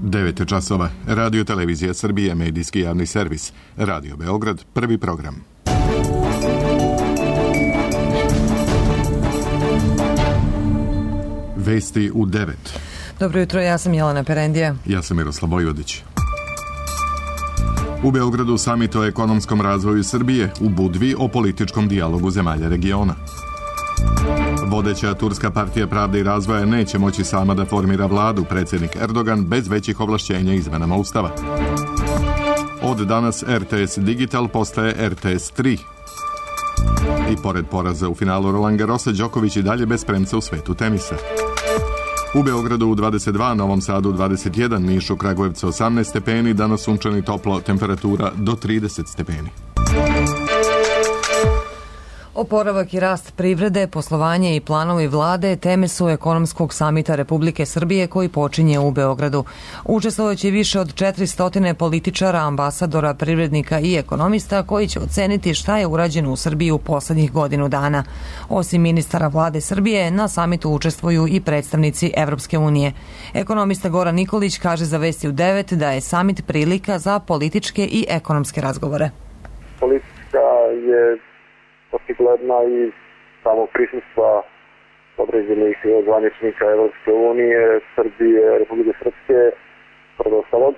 9 časova. Radio Televizija Srbije, medijski javni servis. Radio Beograd, prvi program. Vesti u 9. Dobro jutro, ja sam Jelena Perendija. Ja sam Miroslav Vojvodić. U Beogradu samit o ekonomskom razvoju Srbije, u Budvi o političkom dijalogu zemalja regiona. Vodeća Turska partija Pravde i razvoja neće moći sama da formira vladu, predsjednik Erdogan, bez većih ovlašćenja izmenama Ustava. Od danas RTS Digital postaje RTS 3. I pored poraza u finalu Roland Garrosa, Đoković i dalje bez premca u svetu tenisa. U Beogradu u 22, Novom Sadu 21, Nišu, Kragujevcu 18 stepeni, danas sunčani toplo, temperatura do 30 stepeni. Oporavak i rast privrede, poslovanje i planovi vlade teme su ekonomskog samita Republike Srbije koji počinje u Beogradu. Učestvovaće više od 400 političara, ambasadora, privrednika i ekonomista koji će oceniti šta je urađeno u Srbiji u poslednjih godinu dana. Osim ministara vlade Srbije, na samitu učestvuju i predstavnici Evropske unije. Ekonomista Goran Nikolić kaže za Vesti u 9 da je samit prilika za političke i ekonomske razgovore. Politika je očigledna i samog prisustva određenih zvaničnika Evropske unije, Srbije, Republike Srpske, pred ostalog.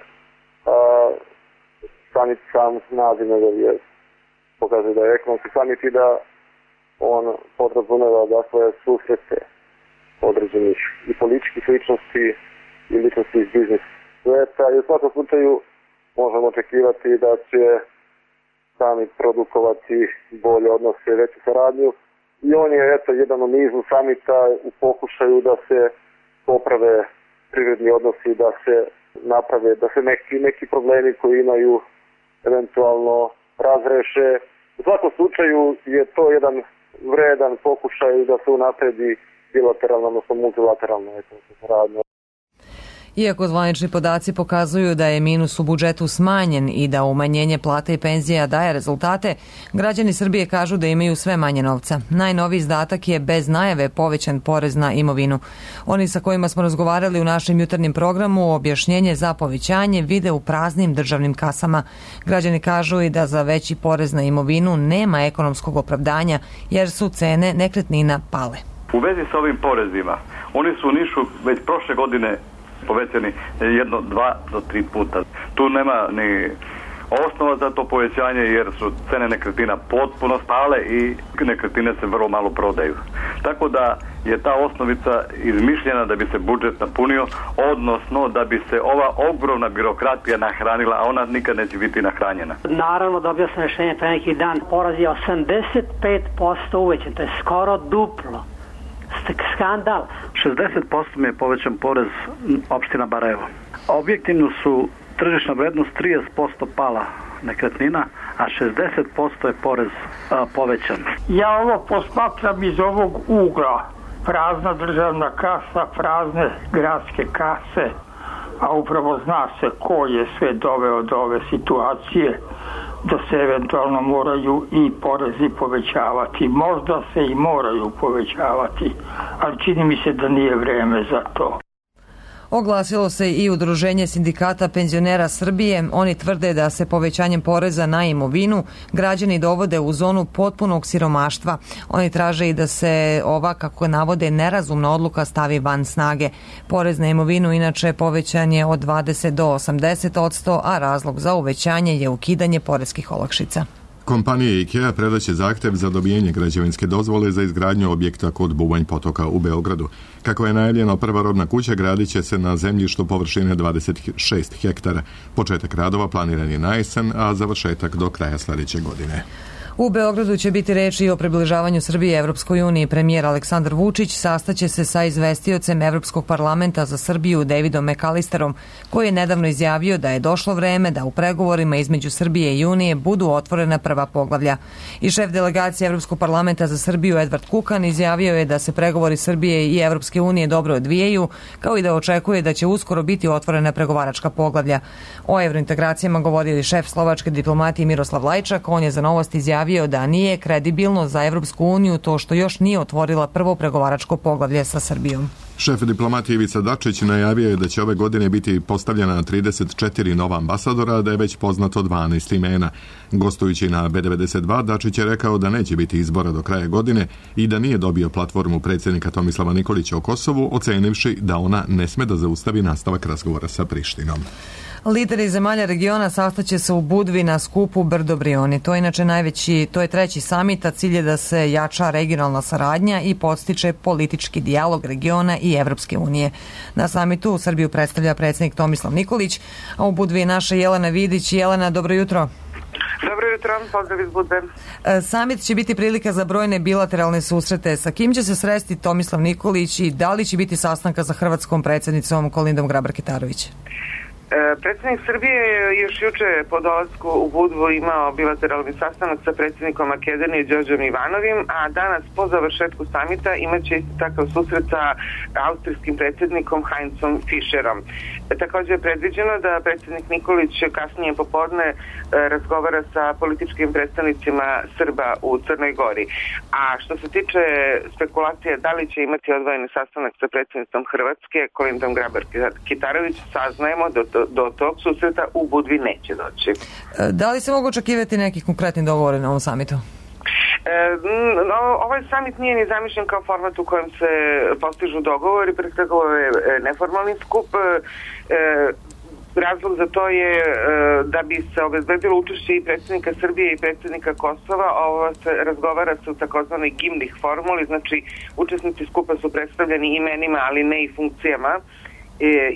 Samit sam naziv je pokazuje da je ekonomski samit i da on podrazumeva dakle susrete određenih i političkih ličnosti i ličnosti iz biznis sveta i u svakom slučaju možemo očekivati da će samit produkovati bolje odnose i veću saradnju i on je jedan u nizu samita u pokušaju da se poprave privredni odnosi, da se naprave, da se neki problemi koji imaju eventualno razreše. U svakom slučaju je to jedan vredan pokušaj da se unapredi bilateralno, odnosno multilateralno saradnja. Iako zvanični podaci pokazuju da je minus u budžetu smanjen i da umanjenje plata i penzija daje rezultate, građani Srbije kažu da imaju sve manje novca. Najnoviji izdatak je bez najave povećan porez na imovinu. Oni sa kojima smo razgovarali u našem jutarnjem programu objašnjenje za povećanje vide u praznim državnim kasama. Građani kažu i da za veći porez na imovinu nema ekonomskog opravdanja jer su cene nekretnina pale. U vezi sa ovim porezima, oni su u Nišu već prošle godine povećani 1, 2 do 3 puta. Tu nema ni osnova za to povećanje jer su cene nekretnina potpuno spale i nekretnine se vrlo malo prodaju. Tako da je ta osnovica izmišljena da bi se budžet napunio, odnosno da bi se ova ogromna birokratija nahranila, a ona nikad neće biti nahranjena. Naravno, dobio sam rešenje pre neki dan. Poraz je 85% uvećan, to je skoro duplo. Skandal. 60% mi je povećan porez opština Barajevo. Objektivno su tržišna vrednost 30% pala nekretnina, a 60% je porez povećan. Ja ovo posmatram iz ovog ugla. Prazna državna kasa, prazne gradske kase, a upravo zna se ko je sve doveo do ove situacije da se eventualno moraju i porezi povećavati. Možda se i moraju povećavati, ali čini mi se da nije vreme za to. Oglasilo se i Udruženje sindikata penzionera Srbije. Oni tvrde da se povećanjem poreza na imovinu građani dovode u zonu potpunog siromaštva. Oni traže i da se ova, kako navode, nerazumna odluka stavi van snage. Porez na imovinu inače povećan je od 20 do 80%, a razlog za uvećanje je ukidanje poreskih olakšica. Kompanija IKEA predaće zahtev za dobijenje građevinske dozvole za izgradnju objekta kod Bubanj potoka u Beogradu. Kako je najavljeno, prva rodna kuća gradit će se na zemljištu površine 26 hektara. Početak radova planiran je na jesen, a završetak do kraja sledeće godine. U Beogradu će biti reči i o približavanju Srbije Evropskoj uniji. Premijer Aleksandar Vučić sastaće se sa izvestiocem Evropskog parlamenta za Srbiju Davidom McAllisterom, koji je nedavno izjavio da je došlo vreme da u pregovorima između Srbije i Unije budu otvorena prva poglavlja. I šef delegacije Evropskog parlamenta za Srbiju Edvard Kukan izjavio je da se pregovori Srbije i Evropske unije dobro odvijaju, kao i da očekuje da će uskoro biti otvorena pregovaračka poglavlja. O evrointegracijama govorio i šef slovačke diplomatije Miroslav Lajčak. On je za Novosti izjavio da nije kredibilno za Evropsku uniju to što još nije otvorila prvo pregovaračko poglavlje sa Srbijom. Šef diplomatije Ivica Dačić najavio je da će ove godine biti postavljena 34 nova ambasadora, da je već poznato 12 imena. Gostujući na B92, Dačić je rekao da neće biti izbora do kraja godine i da nije dobio platformu predsjednika Tomislava Nikolića o Kosovu, ocenivši da ona ne sme da zaustavi nastavak razgovora sa Prištinom. Lideri zemalja regiona sastaće se u Budvi na skupu Brdo Brioni. To je inače to je treći samit, a cilj je da se jača regionalna saradnja i podstiče politički dijalog regiona i Evropske unije. Na samitu Srbiju predstavlja predsjednik Tomislav Nikolić, a u Budvi je naša Jelena Vidić. Jelena, dobro jutro. Dobro jutro, pozdrav iz Budve. Samit će biti prilika za brojne bilateralne susrete. Sa kim će se sresti Tomislav Nikolić i da li će biti sastanka sa hrvatskom predsjednicom Kolindom Grabar-Kitarović? Predsjednik Srbije je još juče po dolasku u Budvu imao bilateralni sastanak sa predsjednikom Makedonije Đorđom Ivanovim, a danas po završetku samita imaće isto takav susret sa austrijskim predsjednikom Heinzom Fischerom. Također je predviđeno da predsjednik Nikolić kasnije popodne razgovara sa političkim predstavnicima Srba u Crnoj Gori. A što se tiče spekulacije da li će imati odvojeni sastanak sa predsjednicom Hrvatske Kolindom Grabar-Kitarović, saznajemo do tog susreta u Budvi neće doći. Da li se mogu očekivati nekih konkretnih dogovora na ovom samitu? Ovaj samit nije ni zamišljen kao format u kojem se postižu dogovori, pre svega ovo je neformalni skup. Razlog za to je da bi se obezbedilo učešće i predsjednika Srbije i predsjednika Kosova. Ovo se razgovara se u takozvanoj gimnih formuli, znači učesnici skupa su predstavljeni imenima, ali ne i funkcijama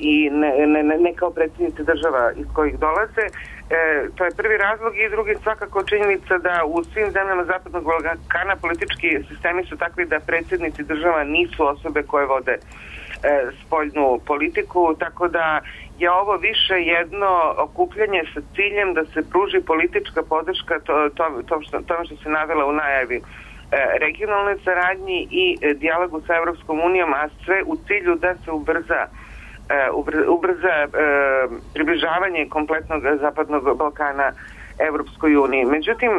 i ne kao predsjednici država iz kojih dolaze. To je prvi razlog i drugi svakako činjenica da u svim zemljama Zapadnog Balkana politički sistemi su takvi da predsjednici država nisu osobe koje vode spoljnu politiku, tako da je ovo više jedno okupljanje sa ciljem da se pruži politička podrška tome što se navela u najavi regionalne saradnji i dijalogu sa Evropskom unijom, a sve u cilju da se ubrza približavanje kompletnog Zapadnog Balkana Evropskoj uniji. Međutim,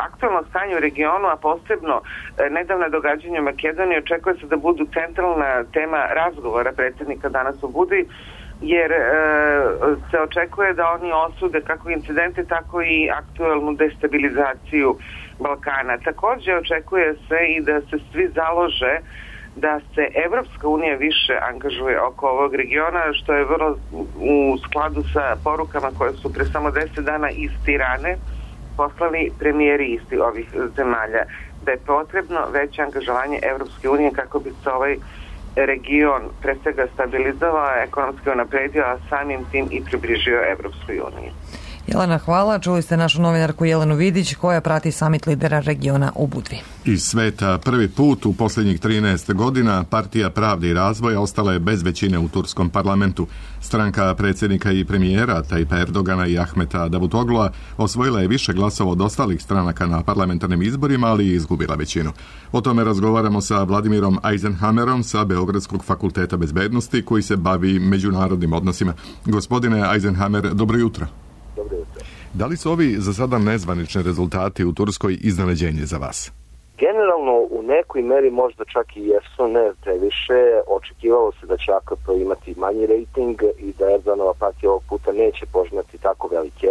aktualno stanje u regionu, a posebno nedavna događanja u Makedoniji, očekuje se da budu centralna tema razgovora predsjednika danas u Budvi, jer se očekuje da oni osude kako incidente, tako i aktualnu destabilizaciju Balkana. Također očekuje se i da se svi založe da se Evropska unija više angažuje oko ovog regiona, što je vrlo u skladu sa porukama koje su pre samo 10 dana iz Tirane poslali premijeri isti ovih zemalja, da je potrebno veće angažovanje Evropske unije kako bi se ovaj region pre svega stabilizovao, ekonomski unapredio, a samim tim i približio Evropskoj uniji. Jelena, hvala. Čuli ste našu novinarku Jelenu Vidić koja prati samit lidera regiona u Budvi. Iz sveta prvi put u posljednjih 13 godina Partija pravde i razvoja ostala je bez većine u turskom parlamentu. Stranka predsjednika i premijera Tajpa Erdogana i Ahmeta Davutoglua osvojila je više glasova od ostalih stranaka na parlamentarnim izborima, ali i izgubila većinu. O tome razgovaramo sa Vladimirom Eisenhammerom sa Beogradskog fakulteta bezbednosti koji se bavi međunarodnim odnosima. Gospodine Eisenhammer, dobro jutro. Dobro jutro. Da li su ovi za sada nezvanični rezultati u Turskoj iznenađenje za vas? Generalno u nekoj meri možda čak i jesu, ne previše. Očekivalo se da će AKP imati manji rejting i da Erdoganova partija ovog puta neće požnati tako velike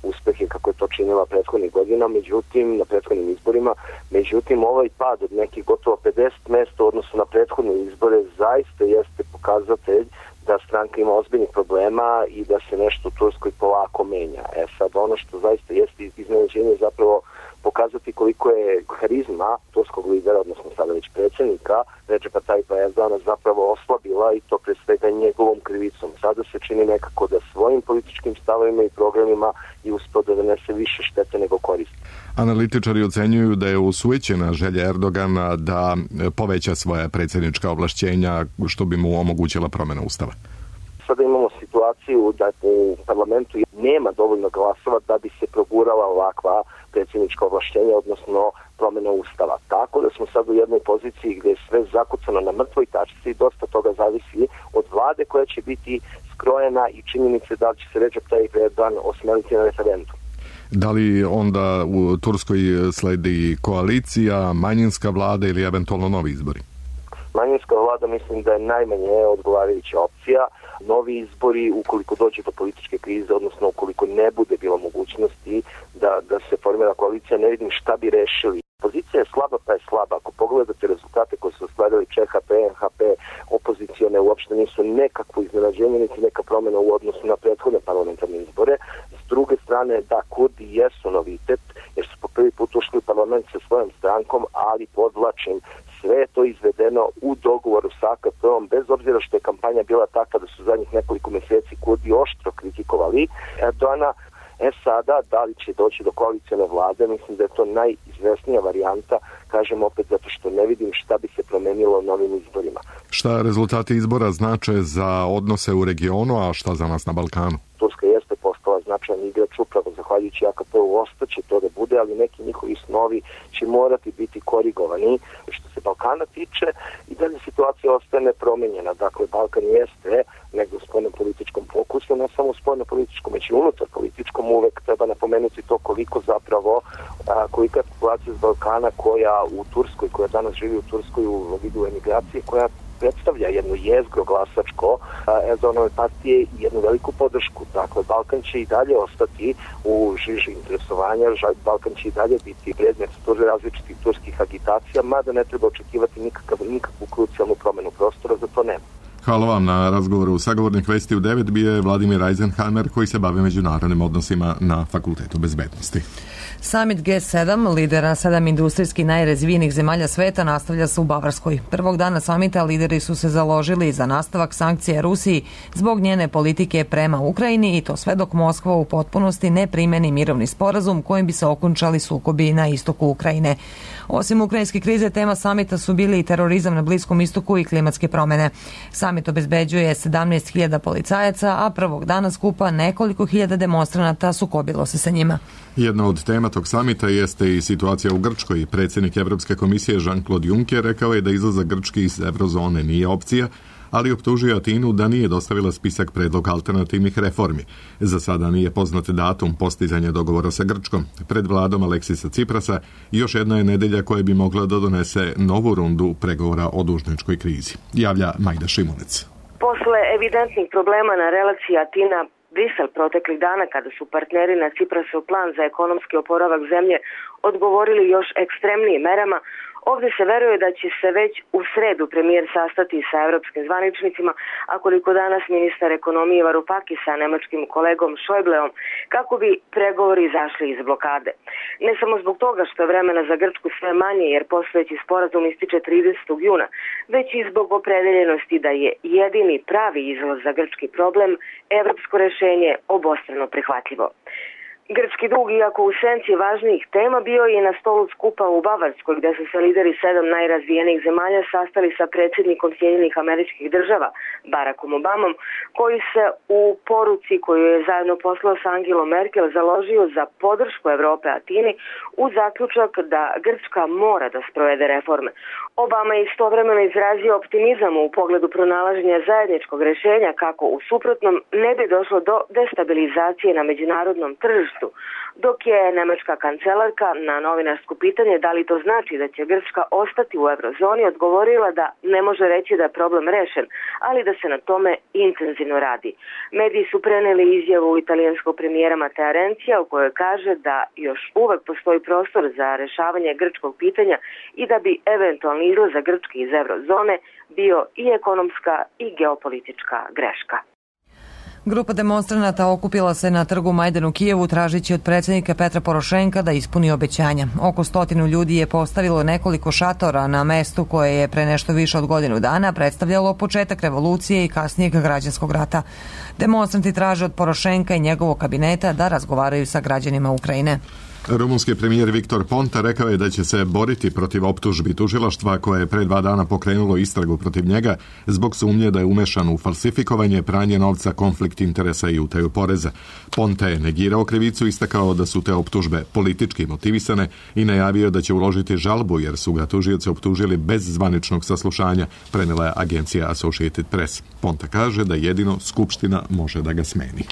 uspehe kako je to činila prethodnih godina, međutim na prethodnim izborima. Međutim, ovaj pad od nekih gotovo 50 mesta u odnosu na prethodne izbore zaista jeste pokazatelj da stranka ima ozbiljnih problema i da se nešto u Turskoj polako menja. Sad ono što zaista jeste iznenađenje zapravo pokazati koliko je harizma turskog lidera, odnosno sada već predsjednika Recepa Tajpa Erdogana zapravo oslabila i to pre svega njegovom krivicom. Sada se čini nekako da svojim političkim stavovima i programima i uspio da donese više štete nego koristi. Analitičari ocenjuju da je usujećena želja Erdogana da poveća svoja predsjednička ovlašćenja što bi mu omogućila promjena ustava. Sada imamo situaciju da u parlamentu nema dovoljno glasova da bi se progurala ovakva predsjednička ovlašćenja, odnosno promjena ustava. Tako da smo sad u jednoj poziciji gdje je sve zakucano na mrtvoj tačci i dosta toga zavisi od vlade koja će biti skrojena i činjenice da li će se Recep Tayyip Erdogan osmeliti na referendum. Da li onda u Turskoj sledi koalicija, manjinska vlada ili eventualno novi izbori? Manjinska vlada mislim da je najmanje odgovarajuća opcija. Novi izbori, ukoliko dođe do političke krize, odnosno ukoliko ne bude bilo mogućnosti da se formira koalicija, ne vidim šta bi rešili. Pozicija je slaba pa je slaba. Ako pogledate rezultate koje su ostvarili ČHP, NHP, opozicione uopšte nisu nekakvo iznenađenje, niti neka promjena u odnosu na prethodne parlamentarne izbore. S druge strane, da, Kurdi jesu novitet, jer su po prvi put ušli u parlament sa svojom strankom, ali podvlačim, sve je to izvedeno u dogovoru sa AKP-om, bez obzira što je kampanja bila takva da su zadnjih nekoliko mjeseci Kurdi oštro kritikovali Erdogana. Sada, da li će doći do koalicione vlade, mislim da je to najizvesnija varijanta, kažem opet zato što ne vidim šta bi se promenilo novim izborima. Šta rezultati izbora znače za odnose u regionu, a šta za nas na Balkanu? Turska jeste postala značajan igrač, upravo zahvaljujući AKP-u ostaće to da bude, ali neki njihovi snovi će morati biti korigovani. Što se Balkana tiče, i dalje situacija ostaje nepromenjena. Dakle, Balkan jeste negdje u spoljno-političkom fokusu, ne samo u spoljno-političkom, već i unutar političkom. Uvek treba napomenuti to koliko zapravo, kolika je populacija iz Balkana koja u Turskoj, koja danas živi u Turskoj u vidu emigracije, koja predstavlja jedno jezgro glasačko Erdoganovi partije i jednu veliku podršku. Dakle, Balkan će i dalje ostati u žiži interesovanja, Balkan će i dalje biti predmet različitih turskih agitacija, mada ne treba očekivati nikakvu krucijalnu promjenu prostora, za to nema. Hvala vam na razgovoru. Sagovornik Vesti u 9 bio je Vladimir Eisenhammer, koji se bavi međunarodnim odnosima na Fakultetu bezbednosti. Summit G7, lidera 7 industrijski najrazvijenijih zemalja sveta, nastavlja se u Bavarskoj. Prvog dana samita lideri su se založili za nastavak sankcija Rusiji zbog njene politike prema Ukrajini, i to sve dok Moskva u potpunosti ne primeni mirovni sporazum kojim bi se okončali sukobi na istoku Ukrajine. Osim ukrajinske krize, tema samita su bili i terorizam na Bliskom istoku i klimatske promjene. Samit obezbeđuje 17.000 policajaca, a prvog dana skupa nekoliko hiljada demonstranata sukobilo se sa njima. Jedna od tema tog samita jeste i situacija u Grčkoj. Predsjednik Evropske komisije Jean-Claude Juncker rekao je da izlazak Grčke iz eurozone nije opcija, ali optužio Atinu da nije dostavila spisak predloga alternativnih reformi. Za sada nije poznat datum postizanja dogovora sa Grčkom. Pred vladom Aleksisa Ciprasa još jedna je nedelja koja bi mogla da donese novu rundu pregovora o dužničkoj krizi. Javlja Majda Šimunec. Posle evidentnih problema na relaciji Atina-Brisel proteklih dana, kada su partneri na Ciprasov plan za ekonomski oporavak zemlje odgovorili još ekstremnijim merama, ovdje se veruje da će se već u sredu premijer sastati sa evropskim zvaničnicima, a koliko danas ministar ekonomije Varoufakis sa nemačkim kolegom Schäubleom, kako bi pregovori izašli iz blokade. Ne samo zbog toga što je vremena za Grčku sve manje, jer postojeći sporazum ističe 30. juna, već i zbog opredeljenosti da je jedini pravi izlaz za grčki problem evropsko rešenje obostrano prihvatljivo. Grčki dug, iako u senci važnijih tema, bio je na stolu skupa u Bavarskoj, gdje su se lideri 7 najrazvijenijih zemalja sastali sa predsjednikom Sjedinjenih Američkih Država, Barackom Obamom, koji se u poruci koju je zajedno poslao sa Angelom Merkel založio za podršku Evrope Atini u zaključak da Grčka mora da sprovede reforme. Obama je istovremeno izrazio optimizam u pogledu pronalaženja zajedničkog rješenja kako u suprotnom ne bi došlo do destabilizacije na međunarodnom tržištu, dok je nemačka kancelarka na novinarsko pitanje da li to znači da će Grčka ostati u eurozoni odgovorila da ne može reći da je problem rešen, ali da se na tome intenzivno radi. Mediji su preneli izjavu italijanskog premijera Matteo Renzija u kojoj kaže da još uvek postoji prostor za rešavanje grčkog pitanja i da bi eventualni izlazak Grčke iz eurozone bio i ekonomska i geopolitička greška. Grupa demonstranata okupila se na trgu Majdan u Kijevu tražići od predsjednika Petra Porošenka da ispuni obećanja. Oko 100 ljudi je postavilo nekoliko šatora na mestu koje je pre nešto više od godinu dana predstavljalo početak revolucije i kasnijeg građanskog rata. Demonstranti traže od Porošenka i njegovog kabineta da razgovaraju sa građanima Ukrajine. Rumunski premijer Viktor Ponta rekao je da će se boriti protiv optužbi tužilaštva koje je pre 2 dana pokrenulo istragu protiv njega zbog sumnje da je umešan u falsifikovanje, pranje novca, konflikt interesa i utaju poreza. Ponta je negirao krivicu, istakao da su te optužbe politički motivisane i najavio da će uložiti žalbu jer su ga tužioci optužili bez zvaničnog saslušanja, prenela je agencija Associated Press. Ponta kaže da jedino Skupština može da ga smeni.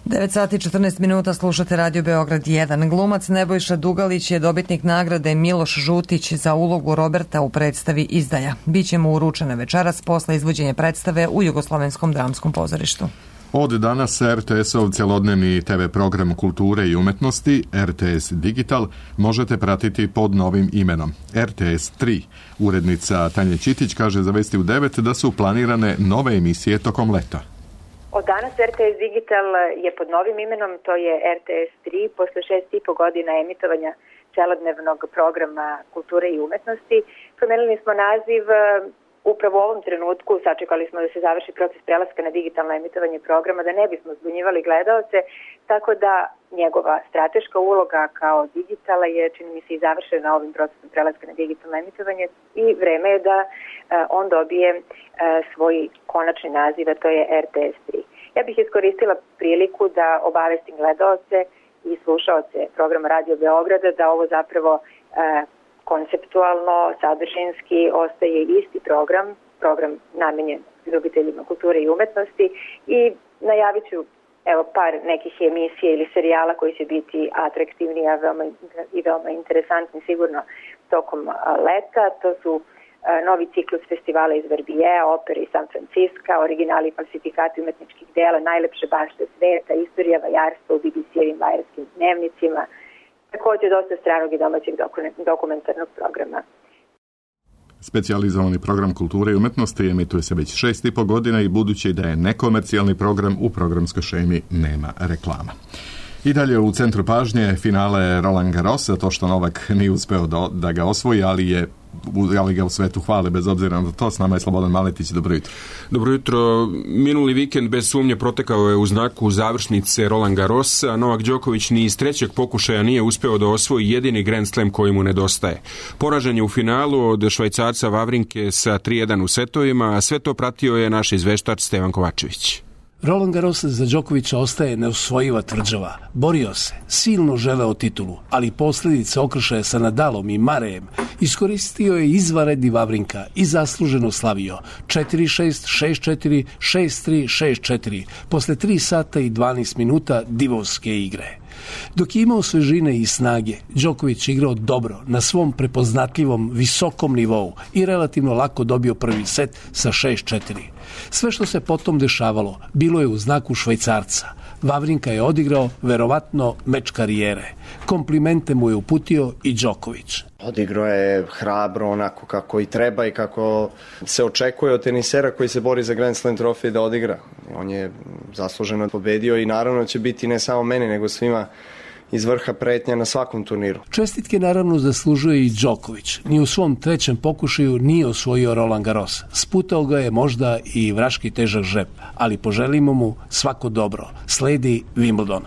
9 sati 14 minuta, slušate Radio Beograd 1. Glumac Nebojša Dugalić je dobitnik nagrade Miloš Žutić za ulogu Roberta u predstavi Izdaja. Biće mu uručena večeras posle izvođenja predstave u Jugoslovenskom dramskom pozorištu. Od danas RTS-ov celodnevni TV program kulture i umetnosti RTS Digital možete pratiti pod novim imenom RTS 3. Urednica Tanja Ćitić kaže za Vesti u 9 da su planirane nove emisije tokom leta. Od danas RTS Digital je pod novim imenom, to je RTS 3, posle 6,5 godina emitovanja celodnevnog programa kulture i umetnosti. Promenili smo naziv upravo u ovom trenutku, sačekali smo da se završi proces prelaska na digitalno emitovanje programa, da ne bismo zbunjivali gledaoce, tako da njegova strateška uloga kao digitala je, čini mi se, i završena ovim procesom prelaska na digitalno emitovanje i vreme je da on dobije svoj konačni naziv, a to je RTS 3. Ja bih iskoristila priliku da obavestim gledaoce i slušaoce programa Radio Beograda da ovo zapravo konceptualno, sadržinski ostaje isti program namenjen ljubiteljima kulture i umetnosti i najavit ću par nekih emisija ili serijala koji će biti atraktivni i veoma interesantni sigurno tokom leta. To su novi ciklus festivala iz Verbijeja, opere iz San Francisca, originali i falsifikati umetničkih dela, najlepše bašte sveta, istorija vajarstva u BBC-evim vajarskim dnevnicima, također dosta stranog i domaćeg dokumentarnog programa. Specijalizovani program kulture i umetnosti emituje se već 6,5 godina i budući da je nekomercijalni program, u programskoj šemi nema reklama. I dalje u centru pažnje finale Roland Garrosa, to što Novak nije uspeo da ga osvoji, ali ga u svetu hvale bez obzira na to. S nama je Slobodan Maletić, dobro jutro. Dobro jutro. Minuli vikend bez sumnje protekao je u znaku završnice Roland Garrosa. Novak Đoković ni iz trećeg pokušaja nije uspeo da osvoji jedini Grand Slam koji mu nedostaje. Poražen je u finalu od Švajcarca Wawrinke sa 3:1 u setovima, a sve to pratio je naš izveštač Stevan Kovačević. Roland Garros za Đokovića ostaje neosvojiva tvrđava. Borio se, silno želeo titulu, ali posljedice okršaja sa Nadalom i Marejem iskoristio je izvanredni Wawrinka i zasluženo slavio 4-6, 6-4, 6-3, 6-4 posle 3 sata i 12 minuta divovske igre. Dok je imao svežine i snage, Đoković igrao dobro na svom prepoznatljivom visokom nivou i relativno lako dobio prvi set sa 6-4. Sve što se potom dešavalo bilo je u znaku Švajcarca. Wawrinka je odigrao verovatno meč karijere. Komplimente mu je uputio i Đoković. Odigrao je hrabro, onako kako i treba i kako se očekuje od tenisera koji se bori za Grand Slam trofej da odigra. On je zasluženo pobedio i naravno će biti ne samo meni, nego svima iz vrha pretnja na svakom turniru. Čestitke naravno zaslužuje i Đoković. Ni u svom trećem pokušaju nije osvojio Roland Garros. Sputao ga je možda i vraški težak žep, ali poželimo mu svako dobro. Sledi Wimbledon.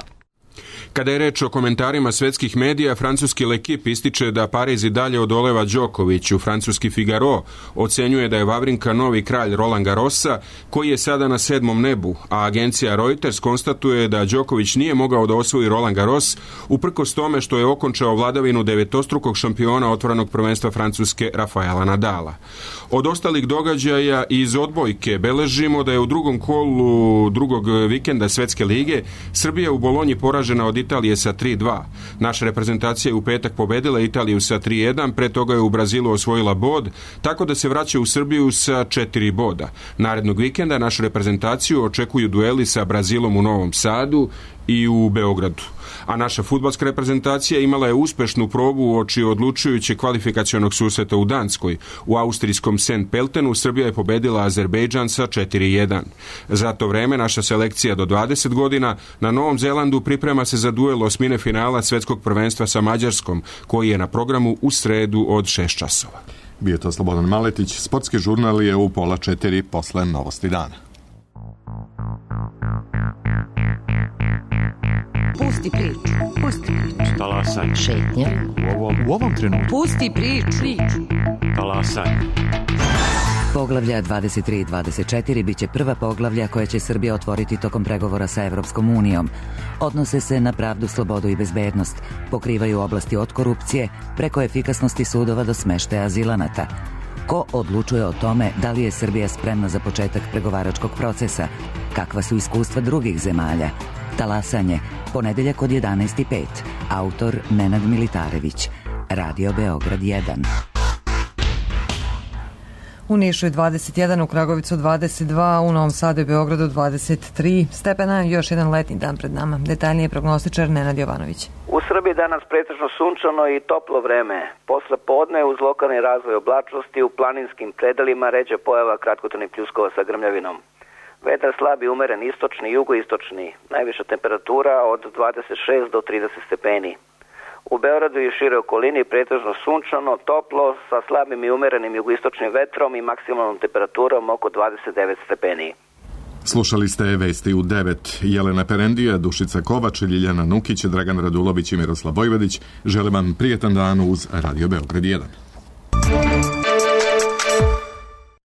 Kada je reč o komentarima svetskih medija, francuski L'Equipe ističe da Pariz i dalje odoleva Đokoviću. Francuski Figaro ocenjuje da je Wawrinka novi kralj Roland Garrosa, koji je sada na 7. nebu, a agencija Reuters konstatuje da Đoković nije mogao da osvoji Roland Garros, uprkos tome što je okončao vladavinu devetostrukog šampiona otvorenog prvenstva Francuske Rafaela Nadala. Od ostalih događaja iz odbojke beležimo da je u drugom kolu drugog vikenda Svetske lige Srbija u Bolonji poražena od Italije sa 3:2. Naša reprezentacija je u petak pobedila Italiju sa 3:1, pre toga je u Brazilu osvojila bod, tako da se vraća u Srbiju sa 4 boda. Narednog vikenda našu reprezentaciju očekuju dueli sa Brazilom u Novom Sadu i u Beogradu. A naša fudbalska reprezentacija imala je uspešnu probu uoči odlučujućeg kvalifikacionog susreta u Danskoj. U austrijskom St. Peltenu Srbija je pobedila Azerbejdžan sa 4:1. Za to vreme naša selekcija do 20 godina na Novom Zelandu priprema se za duel osmine finala svetskog prvenstva sa Mađarskom, koji je na programu u sredu od 6 časova. Bio to Slobodan Maletić. Sportski žurnal je u 3:30 posle Novosti dana. Pusti priču. Pusti priču. Talasaj. Šetnja. U ovom trenutku. Pusti priču. Talasaj. Poglavlja 23 i 24 biće prva poglavlja koja će Srbija otvoriti tokom pregovora sa Evropskom unijom. Odnose se na pravdu, slobodu i bezbednost. Pokrivaju oblasti od korupcije, preko efikasnosti sudova do smeštaja azilanata. Ko odlučuje o tome da li je Srbija spremna za početak pregovaračkog procesa? Kakva su iskustva drugih zemalja? Talasanje, ponedeljak od 11:05. Autor Nenad Militarević. Radio Beograd 1. U Nišu je 21, u Kragovicu 22, u Novom Sadu i Beogradu 23 stepena. Još jedan letnji dan pred nama. Detaljnije prognostičar Nenad Jovanović. U Srbiji danas pretežno sunčano i toplo vreme. Posle podne uz lokalni razvoj oblačnosti u planinskim predelima ređa pojava kratkotrajnih pljuskova sa grmljavinom. Vetar slab i umeren istočni i jugoistočni. Najviša temperatura od 26 do 30 stepeni. U Beogradu i šire okolini pretežno sunčano, toplo, sa slabim i umerenim jugoistočnim vetrom i maksimalnom temperaturom oko 29 stepeni. Slušali ste vesti u 9. Jelena Perendija, Dušica Kovač, Ljiljana Nukić, Dragan Radulović i Miroslav Vojvodić. Želim vam prijetan dan uz Radio Beograd 1.